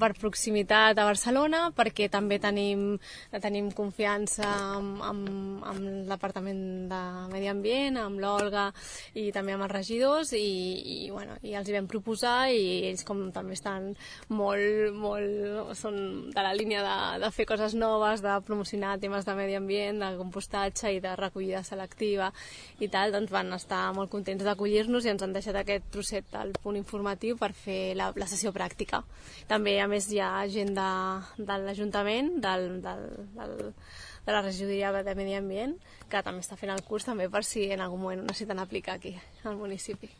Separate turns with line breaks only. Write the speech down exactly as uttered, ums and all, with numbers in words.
per proximitat a Barcelona, perquè també tenim, tenim confiança amb, amb, amb l'Apartament de Medi Ambient, amb l'Olga i també amb els regidors, i, i, bueno, i els hi vam proposar, i ells com també estan molt, molt són de la línia de, de fer coses noves, de promocionar temes de medi ambient, de compostatge i de recollida selectiva i tal, doncs van estar molt contents d'acollir-nos i ens han deixat aquest trosset del punt informatiu per fer la, la sessió pràctica. També, a més, hi ha gent de, de l'Ajuntament, del, del, del, de la regidoria de Medi Ambient, que també està fent el curs, també per si en algun moment ho necessiten aplicar aquí al municipi.